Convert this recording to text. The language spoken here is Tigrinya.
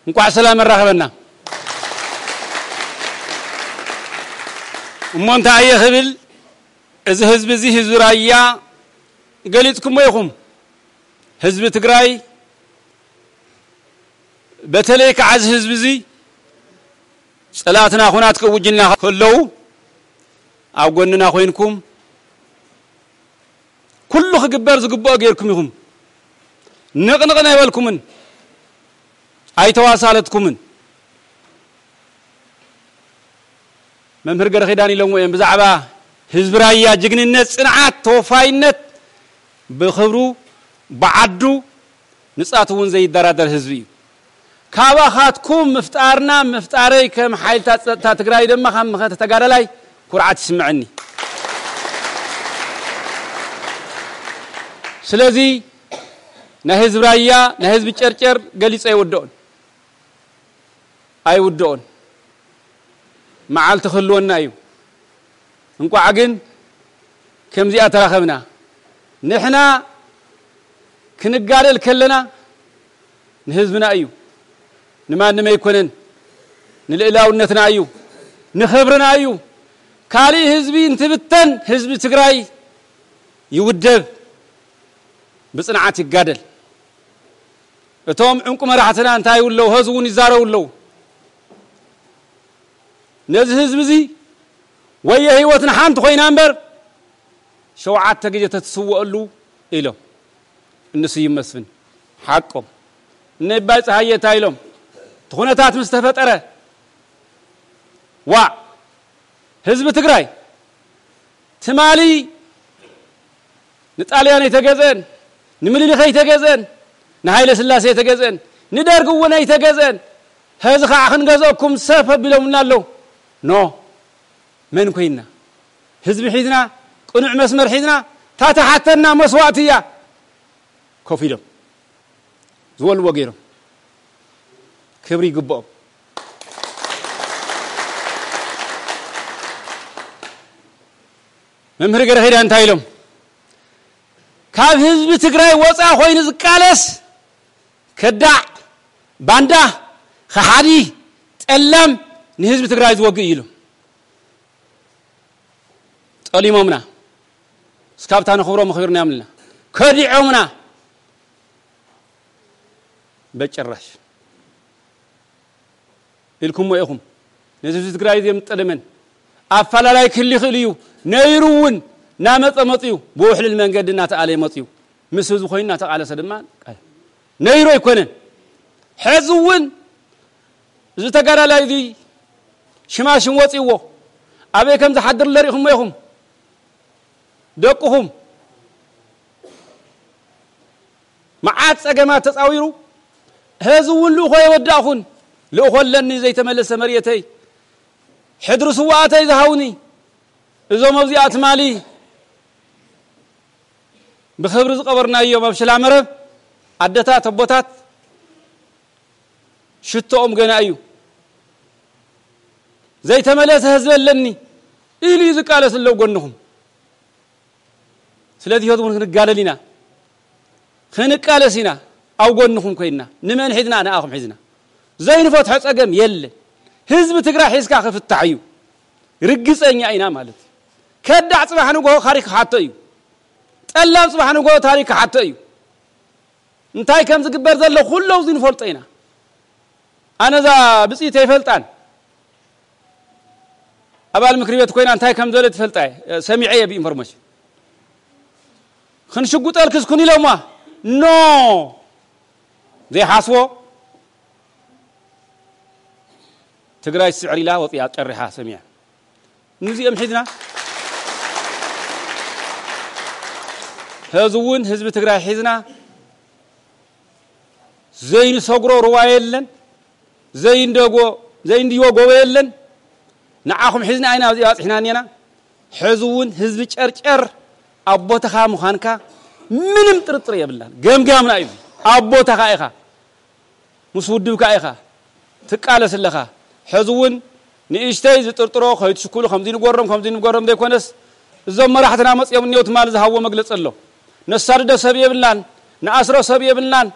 እንቋዕ ሰላም ኣራኸበና። እሞ እንታይ እየ ክብል፣ እዚ ህዝቢ እዚ ህዝቢ ራያ ገሊጽኩሞ ኢኹም። ህዝቢ ትግራይ፣ በተለይ ከዓ እዚ ህዝቢ እዚ ጸላእትና ኩናት ክእውጅልና ከለዉ ኣብ ጎንና ኮይንኩም ኩሉ ክግበር ዝግብኦ ጌርኩም ኢኹም። ንቕንቕ ኣይበልኩምን፣ ኣይተዋሳለትኩምን። መምህር ገረኺዳን ኢሎምዎ እዮም ብዛዕባ ህዝቢ ራያ ጅግንነት፣ ጽንዓት፣ ተወፋይነት፣ ብኽብሩ፣ ብዓዱ ንጻት እውን ዘይደራደር ህዝቢ እዩ። ካባኻትኩም ምፍጣርና ምፍጣረይ ከም ሓይልታት ጸጥታ ትግራይ ድማ ከም መኸተ ተጋዳላይ ኩርዓት ይስምዐኒ። ስለዚ ናይ ህዝቢ ራያ፣ ናይ ህዝቢ ጨርጨር ገሊጸ ኣይውድኦን፣ ኣይውድኦን። መዓልቲ ክህልወና እዩ። እንቋዕ ግን ከምዚኣ ተራኸብና። ንሕና ክንጋደል ከለና ንህዝብና እዩ፣ ንማንም ኣይኮነን። ንልእላውነትና እዩ፣ ንኽብርና እዩ። ካሊእ ህዝቢ እንትብተን ህዝቢ ትግራይ ይውደብ፣ ብጽንዓት ይጋደል። እቶም ዕንቁ መራሕትና እንታይ ይብሉ ኣለዉ? ሀዚ እውን ይዛረቡ ኣለዉ። ነዚ ህዝቢ እዚ ወየ ህይወት ንሓንቲ ኮይና እምበር ሸውዓተ ግዜ ተትስወአሉ ኢሎም። እኒ ስዩም መስፍን ሓቆም። እነ ይባይ ፀሃየ እንታይ ኢሎም? እቲ ኩነታት ምስ ተፈጠረ፣ ዋዕ፣ ህዝቢ ትግራይ ትማሊ ንጣልያን ኣይተገዝአን፣ ንምኒልክ ኣይተገዝአን፣ ንሃይለ ስላሴ ኣይተገዝአን፣ ንደርግ እውን ኣይተገዝአን። ሀዚ ከዓ ክንገዝአኩም ሰፍ ኣቢሎምና ኣለዉ። ኖ፣ መን ኮይንና? ህዝቢ ሒዝና፣ ቅኑዕ መስመር ሒዝና፣ ታተሓተና መስዋእቲ እያ። ኮፍ ኢሎም ዝበልዎ ገይሮም፣ ክብሪ ይግብኦም። መምህር ገረኺዳ እንታይ ኢሎም? ካብ ህዝቢ ትግራይ ወፃ ኮይኑ ዝቃለስ ከዳዕ፣ ባንዳ፣ ከሓዲ፣ ጠላም፣ ንህዝቢ ትግራይ ዝወግእ እዩ ኢሎም። ጠሊሞምና። እስካብታ ንኽብሮም ኣኽቢርናዮም ኣለና። ከዲዖምና። በጭራሽ ኢልኩሞ ኢኹም። ነዚ ህዝቢ ትግራይ እዚ የምጠደመን ኣፈላላይ ክህሉ ይኽእል እዩ። ነይሩ እውን እናመፀ መፅዩ፣ ብውሕልል መንገዲ እናተኣለየ መፅዩ፣ ምስ ህዝቢ ኮይኑ እናተቓለሰ ድማ ነይሩ ኣይኮነን። ሕዚ እውን እዚ ተጋዳላይ እዚ ሽማሽም ወፂዎ ኣበይ ከም ዝሓድር ለሪእኹሞ ኢኹም። ደቅኹም መዓት ጸገማት ተጻዊሩ፣ ሕዚ እውን ልእኾ የወዳእኹን። ልእኾ ኣለኒ ዘይተመለሰ መሬተይ፣ ሕድሪ ስውኣተይ ዝሃውኒ። እዞም ኣብዚኣ ትማሊ ብኽብሪ ዝቐበርናዮም ኣብ ሽላ መረብ ኣደታት፣ ኣቦታት ሽቶኦም ገና እዩ። ዘይተመለሰ ህዝቢ ኣለኒ ኢሉ እዩ ዝቃለስ ኣሎ ጎንኹም። ስለዚ ሕዚ እውን ክንጋደል ኢና፣ ክንቃለስ ኢና። ኣብ ጎንኹም ኮይንና ንመን ሒዝና? ንኣኹም ሒዝና። ዘይንፈትሖ ጸገም የለን። ህዝቢ ትግራይ ሒዝካ ክፍታሕ እዩ። ርግጸኛ ኢና ማለት እዩ። ከዳዕ ጽባሕ ንግሆ ታሪክ ክሓቶ እዩ። ጠላም ጽባሕ ንግሆ ታሪክ ክሓቶ እዩ። እንታይ ከም ዝግበር ዘሎ ኩሉ ኣብዚ ንፈልጦ ኢና። ኣነ እዛ ብፅኢት ኣይፈልጣን። ኣባል ምክሪ ቤት ኮይና እንታይ ከም ዝበለት ትፈልጣ እየ፣ ሰሚዐ እየ ብኢንፎርሜሽን። ክንሽጉጠልክስ ኩን ኢሎማ። ኖ፣ ዘይሓስቦ ትግራይ ትስዕር ኢላ ወፂኣ ጨሪሓ ሰሚዐ። ንዚኦም ሒዝና፣ ሕዚ እውን ህዝቢ ትግራይ ሒዝና ዘይንሰግሮ ሩባ የለን፣ ዘይንደጎ፣ ዘይንድዮ ጎቦ የለን። ንዓኹም ሒዝና ኢና ኣብዚ ባፅሕና እኔና። ሕዚ እውን ህዝቢ ጨርጨር ኣብ ቦታኻ ምዃንካ ምንም ጥርጥር የብልናን። ገምጋምና እዩ። ኣብ ቦታኻ ኢኻ፣ ምስ ውድብካ ኢኻ ትቃለስ ኣለኻ። ሕዚ እውን ንእሽተይ ዝጥርጥሮ ከይትሽኩሉ፣ ከምዚ ንገሮም፣ ከምዚ ንገሮም ዘይኮነስ፣ እዞም መራሕትና መፅኦም እኒኦ ትማሊ ዝሃብዎ መግለፂ ኣሎ። ነሳድዶ ሰብ የብልናን፣ ንኣስሮ ሰብ የብልናን።